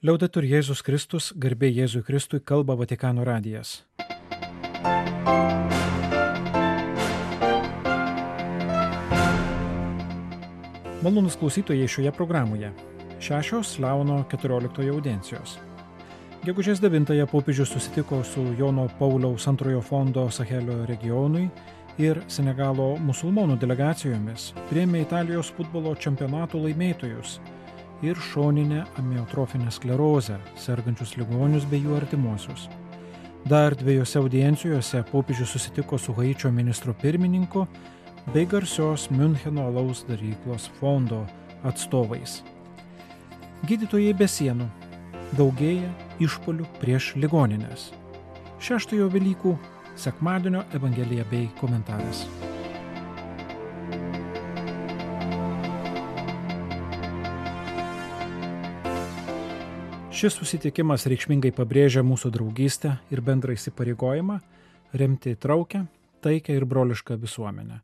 Liaudetur Jėzus Kristus, garbė Jėzui Kristui, kalba Vatikano radijas. Malonūs klausytojai šioje programoje. 6 Leono 14 audiencijos. Gegužės 9 popiežius susitiko su Jono Pauliaus II fondo Sahelio regionui ir Senegalo musulmonų delegacijomis, priėmė Italijos futbolo čempionato laimėtojus ir šoninę amiotrofinę sklerozę, sergančius ligonius bei jų artimuosius. Dar 2 audiencijose popiežius susitiko su Haičio ministro pirmininku bei garsios Miuncheno alaus daryklos fondo atstovais. Gydytojai be sienų. Daugėja išpuolių prieš ligonines. 6 Velykų sekmadienio evangelija bei komentaras. Šis susitikimas reikšmingai pabrėžia mūsų draugystę ir bendrą įsipareigojimą remti įtraukę, taikę ir brolišką visuomenę.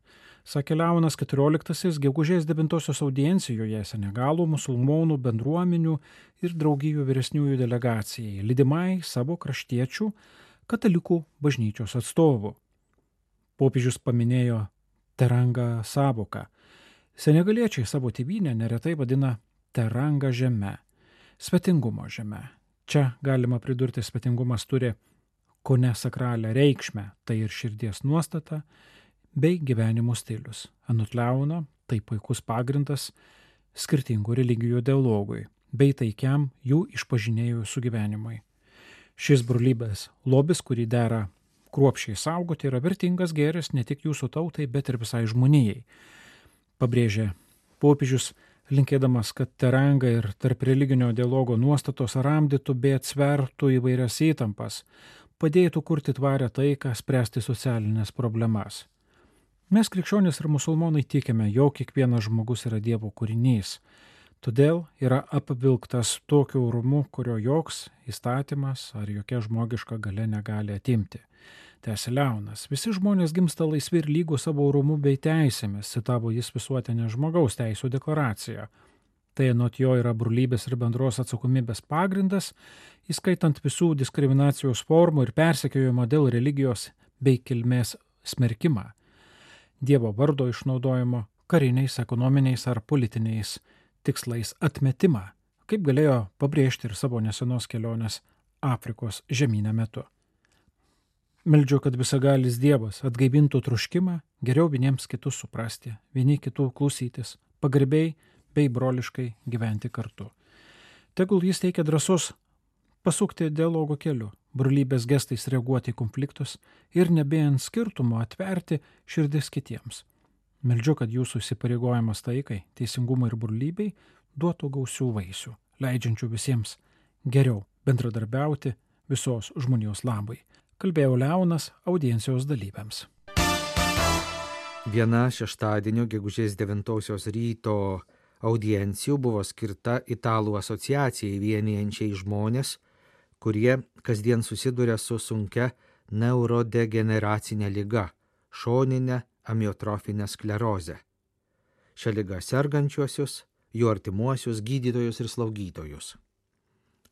Sakė Leonas XIV gegužės 9 audiencijoje Senegalo musulmonų bendruomenių ir draugijų vyresniųjų delegacijai, lydimai savo kraštiečių katalikų bažnyčios atstovų. Popiežius paminėjo teranga sąvoką. Senegaliečiai savo tėvynę neretai vadina teranga žeme, svetingumo žeme. Čia galima pridurti, svetingumas turi kone sakralią reikšmę, tai ir širdies nuostata bei gyvenimo stilius. Anot Leono, tai puikus pagrindas skirtingų religijų dialogui bei taikiam jų išpažinėjų sugyvenimui. Šis brolybės lobis, kurį dera kruopščiai saugoti, yra vertingas gėris ne tik jūsų tautai, bet ir visai žmonijai. Pabrėžė popiežius, linkėdamas, kad teranga ir tarp religinio dialogo nuostatos ramdytų bei atsvertų įvairias įtampas, padėtų kurti tvarę taiką, spręsti socialinės problemas. Mes krikščionys ir musulmonai tikime, jog kiekvienas žmogus yra Dievo kūrinys, todėl yra apvilktas tokiu orumu, kurio joks įstatymas ar jokia žmogiška galia negali atimti. Tęsė Leonas, visi žmonės gimsta laisvi ir lygūs savo orumu bei teisėmis, citavo jis visuotinę žmogaus teisų deklaraciją. Tai anot jo yra brolybės ir bendros atsakomybės pagrindas, įskaitant visų diskriminacijos formų ir persekiojimo dėl religijos bei kilmės smerkimą, Dievo vardo išnaudojimo kariniais, ekonominiais ar politiniais tikslais atmetimą, kaip galėjo pabrėžti ir savo nesenos kelionės Afrikos žemyne metu. Meldžiu, kad visagalis Dievas atgaivintų troškimą geriau vieniems kitus suprasti, vieni kitų klausytis, pagarbiai bei broliškai gyventi kartu. Tegul jis teikia drąsos pasukti dialogo keliu, brolybės gestais reaguoti į konfliktus ir nebėjant skirtumo atverti širdis kitiems. Meldžiu, kad jūsų įsipareigojimas taikai, teisingumui ir brolybei duotų gausių vaisių, leidžiančių visiems geriau bendradarbiauti visos žmonijos labui. Kalbėjo Leonas audiencijos dalyviams. Viena šeštadienio gegužės 9 ryto audiencijų buvo skirta Italų asociacijai vienijančiai žmonės, kurie kasdien susiduria su sunkia neurodegeneracinė liga – šoninė amiotrofinė sklerozė. Šią ligą sergančiuosius, jų artimuosius, gydytojus ir slaugytojus.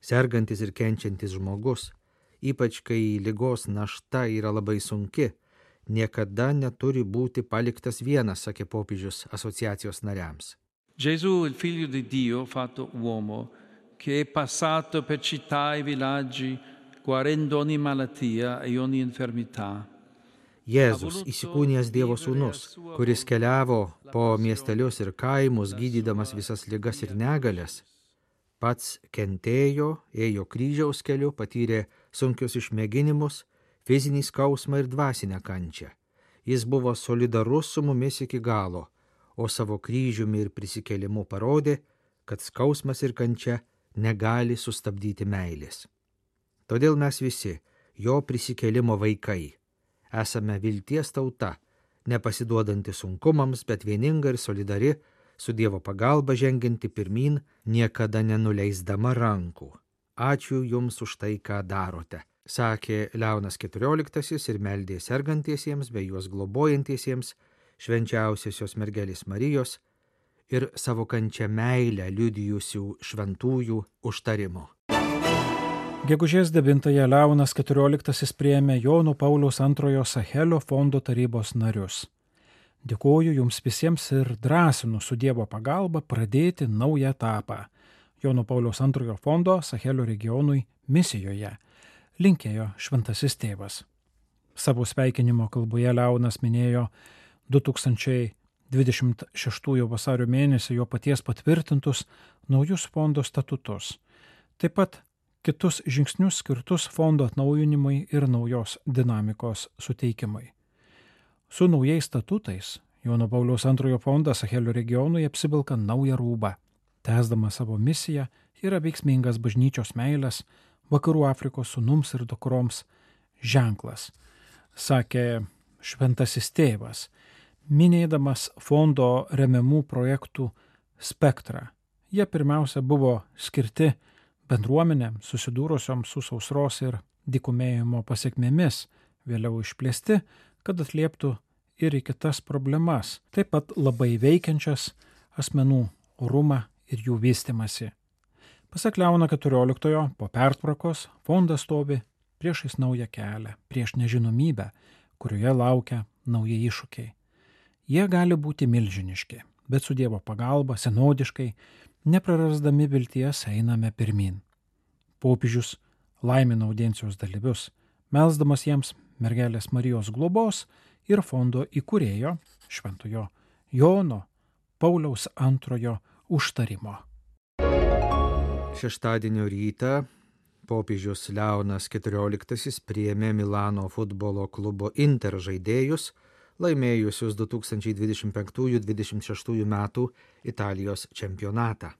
Sergantis ir kenčiantis žmogus, ypač kai ligos našta yra labai sunki, niekada neturi būti paliktas vienas, sakė popiežius asociacijos nariams. Gesù, il figlio di Dio fatto uomo, che è passato per città e villaggi, guarendo ogni malattia e ogni infermità. Jėzus, įsikūnijęs Dievo sūnus, kuris keliavo po miestelius ir kaimus, gydydamas visas ligas ir negalias, pats kentėjo, ėjo kryžiaus keliu, patyrė sunkius išmėginimus, fizinį skausmą ir dvasinę kančią. Jis buvo solidarus su mumis iki galo, o savo kryžiumi ir prisikėlimu parodė, kad skausmas ir kančia negali sustabdyti meilės. Todėl mes visi, jo prisikėlimo vaikai, esame vilties tauta, nepasiduodanti sunkumams, bet vieninga ir solidari, su Dievo pagalba žengianti pirmyn, niekada nenuleisdama rankų. Ačiū Jums už tai, ką darote, sakė Leonas XIV ir meldė sergantiesiems bei juos globojantiesiems, švenčiausiosios mergelės Marijos ir savo kančią meilę liudijusių šventųjų užtarimo. Gegužės 9-ąją Leonas XIV priėmė Jono Pauliaus II Sachelio fondo tarybos narius. Dėkoju jums visiems ir drąsinu su Dievo pagalba pradėti naują etapą Jono Pauliaus II fondo Sachelio regionui misijoje, linkėjo šventasis tėvas. Savo sveikinimo kalboje Leonas minėjo 2026 vasario mėnesį jo paties patvirtintus naujus fondo statutus, taip pat kitus žingsnius skirtus fondo atnaujinimui ir naujos dinamikos suteikimui. Su naujais statutais Jono Pauliaus II fondas Sachelio regionui apsivilka naują rūbą, tęsdama savo misiją yra veiksmingas bažnyčios meilės Vakarų Afrikos sūnums ir dukroms ženklas, sakė šventasis tėvas, minėdamas fondo remiamų projektų spektrą. Jie pirmiausia buvo skirti bendruomenėms susidūrusioms su sausros ir dykumėjimo pasekmėmis, vėliau išplėsti, kad atlieptų ir į kitas problemas, taip pat labai veikiančias asmenų orumą ir jų vystimasi. Pasak Leono XIV, po pertvarkos fondas stovi priešais naują kelią, prieš nežinomybę, kurioje laukia nauji iššūkiai. Jie gali būti milžiniški, bet su Dievo pagalba senodiškai, neprarasdami vilties einame pirmin. Popiežius laimina audiencijos dalyvius, melsdamas jiems mergelės Marijos globos ir fondo įkūrėjo šventojo Jono Pauliaus II užtarimo. Šeštadienio rytą popiežius Leonas XIV priėmė Milano futbolo klubo Inter žaidėjus, laimėjusius 2025-2026 metų Italijos čempionatą.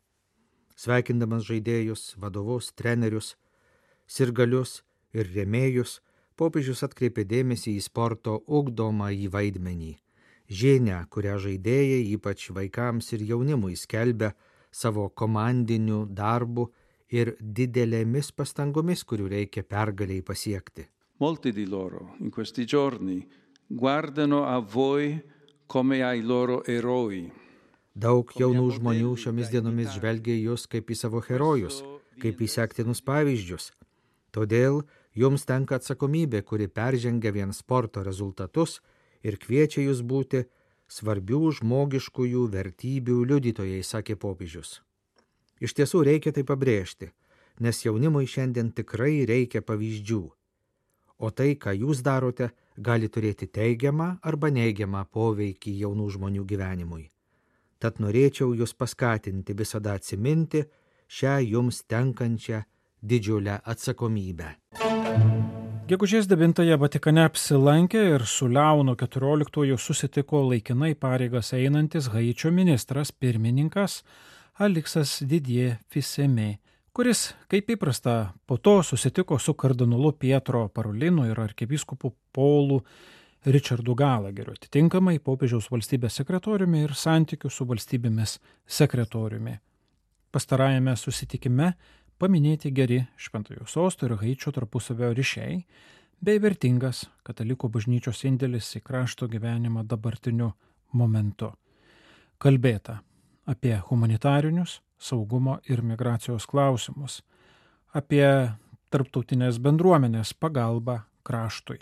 Sveikindamas žaidėjus, vadovus, trenerius, sirgalius ir rėmėjus, popiežius atkreipė dėmesį į sporto ugdomąjį vaidmenį, žinią, kurią žaidėjai, ypač vaikams ir jaunimui, skelbia savo komandiniu darbu ir didelėmis pastangomis, kurių reikia pergaliai pasiekti. Molti di loro in questi giorni guardano a voi come ai loro eroi. Daug jaunų žmonių šiomis dienomis žvelgia į jūs kaip į savo herojus, kaip į sektinus pavyzdžius. Todėl jums tenka atsakomybė, kuri peržengia vien sporto rezultatus ir kviečia jūs būti svarbių žmogiškųjų vertybių liudytojai, sakė popiežius. Iš tiesų reikia tai pabrėžti, nes jaunimui šiandien tikrai reikia pavyzdžių. O tai, ką jūs darote, gali turėti teigiamą arba neigiamą poveikį jaunų žmonių gyvenimui. Tad norėčiau jūs paskatinti visada atsiminti šią jums tenkančią didžiulę atsakomybę. Gegužės 9-ąją Vatikane apsilankė ir su Leonu XIV susitiko laikinai pareigas einantis Haičio ministras pirmininkas Aliksas Didie Fiseme, kuris, kaip įprasta, po to susitiko su kardinolu Pietro Parolinu ir arkivyskupu Paulu Richardu Galageriu, atitinkamai popiežiaus valstybės sekretoriumi ir santykių su valstybėmis sekretoriumi. Pastarajame susitikime paminėti geri Šventojo Sosto ir Haičio tarpusavio ryšiai bei vertingas katalikų bažnyčios indėlis į krašto gyvenimą dabartiniu momentu. Kalbėta apie humanitarinius, saugumo ir migracijos klausimus, apie tarptautinės bendruomenės pagalbą kraštui.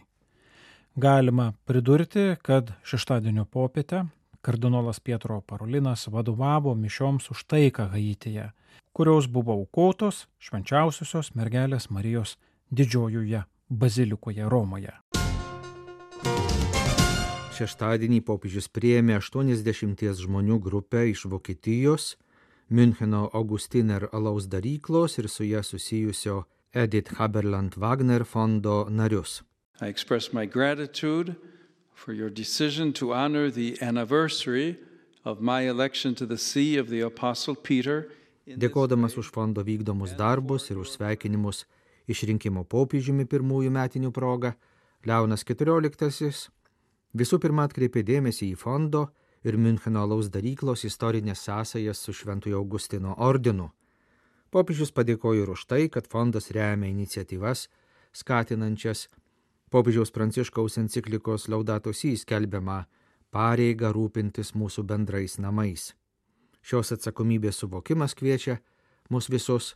Galima pridurti, kad šeštadienio popietę kardinolas Pietro Parolinas vadovavo mišioms už taiką Haityje, kurios buvo aukotos švenčiausiosios mergelės Marijos didžiojoje bazilikoje Romoje. Šeštadienį popiežius priėmė 80 žmonių grupę iš Vokietijos, Müncheno Augustiner alaus daryklos ir su ją susijusio Edith Haberland Wagner fondo narius. I express my gratitude for your decision to honor the anniversary of my election to the see of the Apostle Peter. Dėkodamas už fondo vykdomus darbus ir už sveikinimus išrinkimo popiežiumi pirmųjų metinių proga, Leonas XIV visų pirma atkreipė dėmesį į fondo ir Müncheno alaus daryklos istorinės sąsajas su Šventojo Augustino ordinu. Popiežius padėkojo ir už tai, kad fondas remia iniciatyvas, skatinančias popiežiaus Pranciškaus enciklikos Laudato Si skelbiamą pareigą rūpintis mūsų bendrais namais. Šios atsakomybės suvokimas kviečia mus visus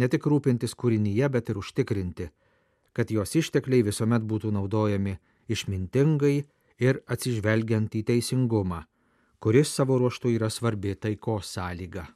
ne tik rūpintis kūrinyje, bet ir užtikrinti, kad jos ištekliai visuomet būtų naudojami išmintingai ir atsižvelgiant į teisingumą, kuris savo ruožtu yra svarbi taikos sąlyga.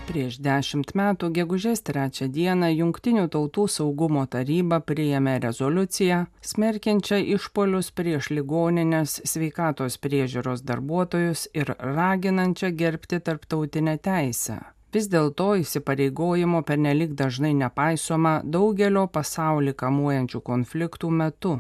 Prieš 10 metų gegužės 3 dieną Jungtinių tautų saugumo taryba priėmė rezoliuciją, smerkiančią išpuolius prieš ligoninės sveikatos priežiūros darbuotojus ir raginančią gerbti tarptautinę teisę. Vis dėlto įsipareigojimo pernelyg dažnai nepaisoma daugelio pasaulį kamuojančių konfliktų metu.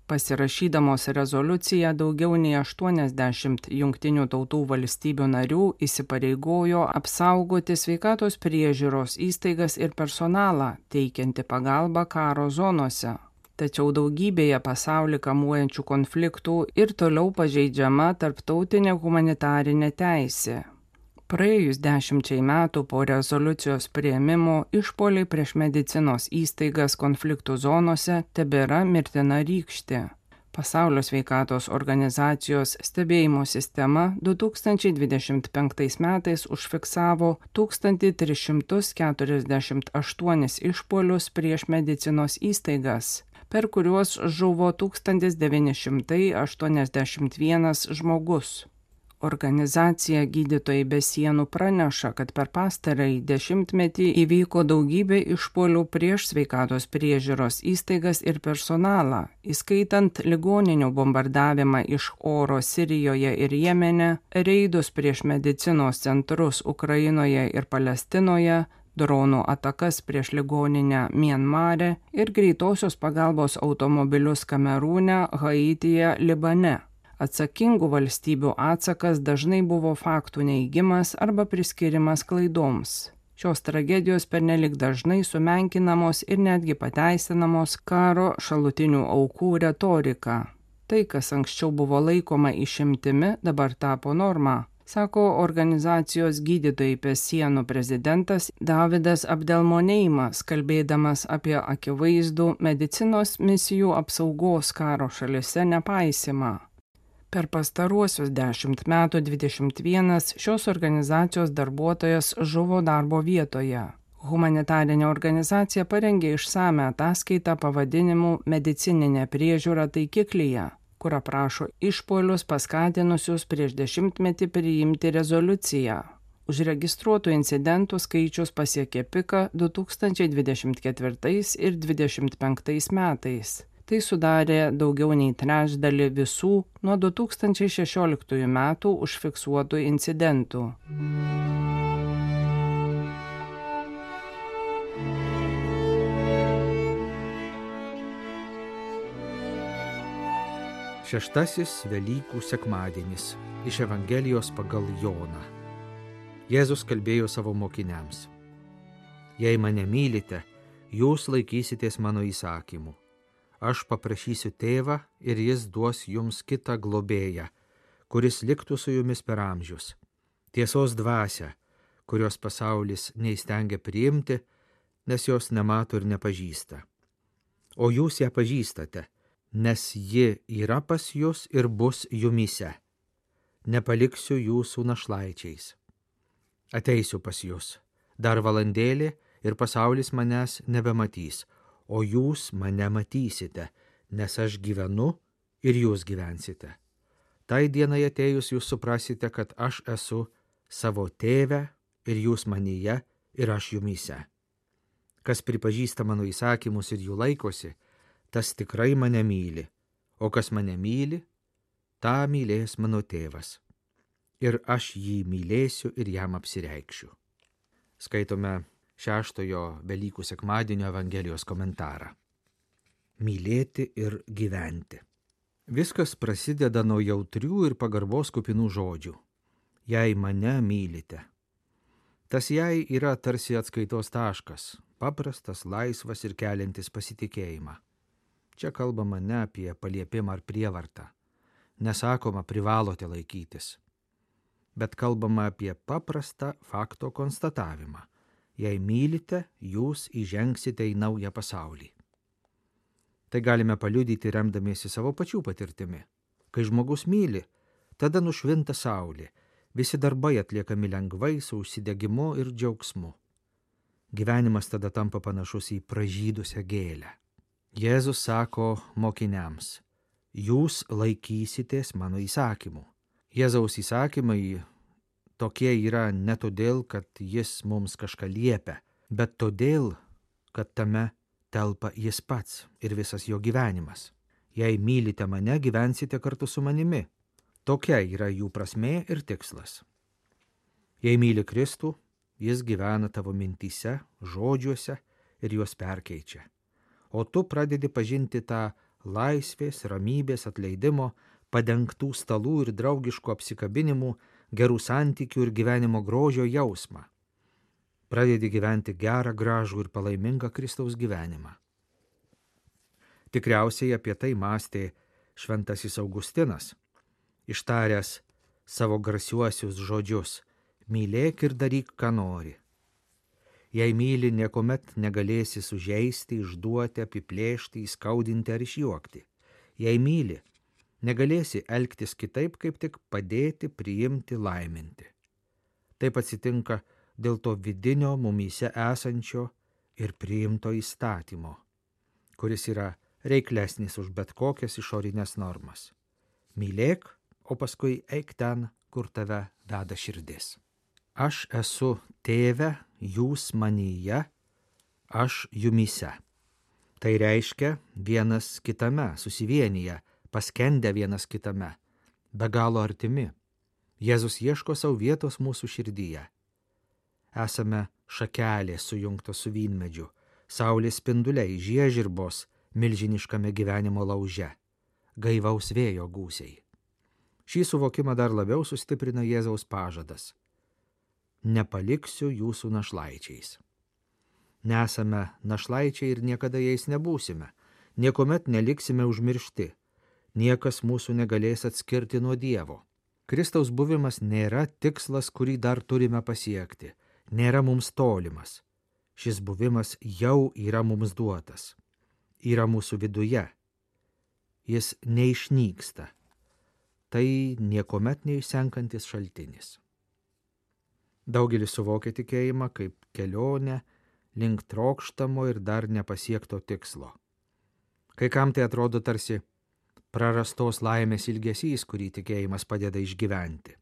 Pasirašydamos rezoliuciją daugiau nei 80 Jungtinių tautų valstybių narių įsipareigojo apsaugoti sveikatos priežiūros įstaigas ir personalą, teikianti pagalbą karo zonose. Tačiau daugybėje pasaulį kamuojančių konfliktų ir toliau pažeidžiama tarptautinė humanitarinė teisė. Praėjus 10 metų po rezoliucijos priėmimo išpuoliai prieš medicinos įstaigas konfliktų zonose tebėra mirtina rykštė. Pasaulio sveikatos organizacijos stebėjimo sistema 2025 metais užfiksavo 1348 išpuolius prieš medicinos įstaigas, per kuriuos žuvo 1981 žmogus. Organizacija Gydytojai be sienų praneša, kad per pastarąjį dešimtmetį įvyko daugybė išpuolių prieš sveikatos priežiūros įstaigas ir personalą, įskaitant ligoninių bombardavimą iš oro Sirijoje ir Jemene, reidus prieš medicinos centrus Ukrainoje ir Palestinoje, dronų atakas prieš ligoninę Mianmare ir greitosios pagalbos automobilius Kamerūne, Haityje, Libane. Atsakingų valstybių atsakas dažnai buvo faktų neigimas arba priskirimas klaidoms. Šios tragedijos pernelyg dažnai sumenkinamos ir netgi pateisinamos karo šalutinių aukų retorika. Tai, kas anksčiau buvo laikoma išimtimi, dabar tapo norma, sako organizacijos Gydytojai be sienų prezidentas Davidas Abdelmoneimas, kalbėdamas apie akivaizdų medicinos misijų apsaugos karo šalyse nepaisimą. Per pastaruosius 10 metų 21 šios organizacijos darbuotojas žuvo darbo vietoje. Humanitarinė organizacija parengė išsamią ataskaitą pavadinimu Medicininė priežiūra taikiklyje, kur aprašo išpuolius paskatinusius prieš 10 metį priimti rezoliuciją. Užregistruotų incidentų skaičius pasiekė piką 2024 ir 2025 metais. Tai sudarė daugiau nei trečdalį visų nuo 2016 metų užfiksuotų incidentų. Šeštasis Velykų sekmadienis iš Evangelijos pagal Joną. Jėzus kalbėjo savo mokiniams: Jei mane mylite, jūs laikysitės mano įsakymų. Aš paprašysiu tėvą ir jis duos jums kitą globėją, kuris liktų su jumis per amžius. Tiesos dvasią, kurios pasaulis neįstengia priimti, nes jos nemato ir nepažįsta. O jūs ją pažįstate, nes ji yra pas jus ir bus jumyse. Nepaliksiu jūsų našlaičiais. Ateisiu pas jus. Dar valandėlė ir pasaulis manęs nebematys. O jūs mane matysite, nes aš gyvenu ir jūs gyvensite. Tai dienai atėjus jūs suprasite, kad aš esu savo tėve ir jūs manyje ir aš jumyse. Kas pripažįsta mano įsakymus ir jų laikosi, tas tikrai mane myli, o kas mane myli, tą mylės mano tėvas. Ir aš jį mylėsiu ir jam apsireikšiu. Skaitome 6 Velykų sekmadienio Evangelijos komentarą. Mylėti ir gyventi. Viskas prasideda nuo jautrių ir pagarbos kupinų žodžių. Jei mane mylite. Tas jei yra tarsi atskaitos taškas, paprastas, laisvas ir keliantis pasitikėjimą. Čia kalbama ne apie paliepimą ar prievartą. Nesakoma privalote laikytis. Bet kalbama apie paprastą fakto konstatavimą. Jei mylite, jūs įžengsite į naują pasaulį. Tai galime paliudyti remdamiesi savo pačių patirtimi. Kai žmogus myli, tada nušvinta saulė, visi darbai atliekami lengvai, su užsidegimu ir džiaugsmu. Gyvenimas tada tampa panašus į pražydusią gėlę. Jėzus sako mokiniams, jūs laikysitės mano įsakymų. Jėzaus įsakymai tokie yra ne todėl, kad jis mums kažką liepia, bet todėl, kad tame telpa jis pats ir visas jo gyvenimas. Jei mylite mane, gyvensite kartu su manimi. Tokia yra jų prasmė ir tikslas. Jei myli Kristų, jis gyvena tavo mintyse, žodžiuose ir juos perkeičia. O tu pradedi pažinti tą laisvės, ramybės, atleidimo, padengtų stalų ir draugiškų apsikabinimų, gerų santykių ir gyvenimo grožio jausmą. Pradedi gyventi gerą, gražų ir palaimingą Kristaus gyvenimą. Tikriausiai apie tai mąstė šventasis Augustinas, ištaręs savo garsiuosius žodžius: mylėk ir daryk, ką nori. Jei myli, niekuomet negalėsi sužeisti, išduoti, apiplėšti, įskaudinti ar išjuokti. Jei myli, negalėsi elgtis kitaip, kaip tik padėti, priimti, laiminti. Taip atsitinka dėl to vidinio mumyse esančio ir priimto įstatymo, kuris yra reiklesnis už bet kokias išorinės normas. Mylėk, o paskui eik ten, kur tave veda širdis. Aš esu Tėve, jūs manyje, aš jumyse. Tai reiškia vienas kitame, susivienyje, paskendę vienas kitame, be galo artimi. Jėzus ieško savo vietos mūsų širdyje. Esame šakelės sujungtos su vynmedžiu, saulės spinduliai, žiežirbos milžiniškame gyvenimo lauže, gaivaus vėjo gūsiai. Šį suvokimą dar labiau sustiprina Jėzaus pažadas: nepaliksiu jūsų našlaičiais. Nesame našlaičiai ir niekada jais nebūsime, niekuomet neliksime užmiršti, niekas mūsų negalės atskirti nuo Dievo. Kristaus buvimas nėra tikslas, kurį dar turime pasiekti, nėra mums tolimas. Šis buvimas jau yra mums duotas, yra mūsų viduje. Jis neišnyksta. Tai niekuomet neišsenkantis šaltinis. Daugelis suvokia tikėjimą kaip kelionę link trokštamo ir dar nepasiekto tikslo. Kai kam tai atrodo tarsi prarastos laimės ilgesys, kurį tikėjimas padeda išgyventi.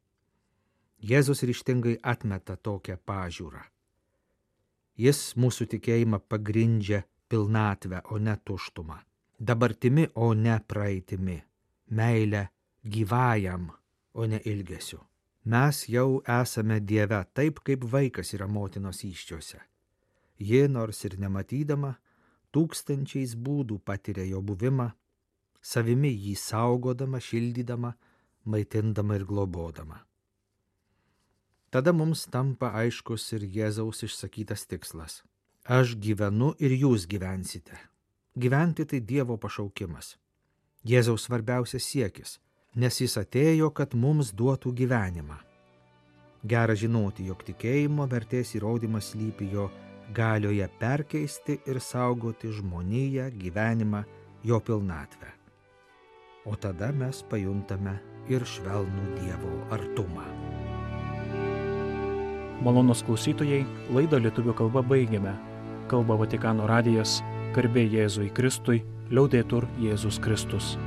Jėzus ryžtingai atmeta tokią pažiūrą. Jis mūsų tikėjimą pagrindžia pilnatvę, o ne tuštumą. Dabartimi, o ne praeitimi. Meilę gyvajam, o ne ilgesiu. Mes jau esame Dieve taip, kaip vaikas yra motinos įsčiose. Ji, nors ir nematydama, tūkstančiais būdų patiria jo buvimą, savimi jį saugodama, šildydama, maitindama ir globodama. Tada mums tampa aiškus ir Jėzaus išsakytas tikslas. Aš gyvenu ir jūs gyvensite. Gyventi tai Dievo pašaukimas. Jėzaus svarbiausias siekis, nes jis atėjo, kad mums duotų gyvenimą. Gera žinoti, jog tikėjimo vertės įrodymas slypi jo galioje perkeisti ir saugoti žmoniją, gyvenimą, jo pilnatvę. O tada mes pajuntame ir švelnų Dievo artumą. Malonūs klausytojai, laidą lietuvių kalba baigiame. Kalba Vatikano radijas, garbė Jėzui Kristui, liaudetur Jėzus Kristus.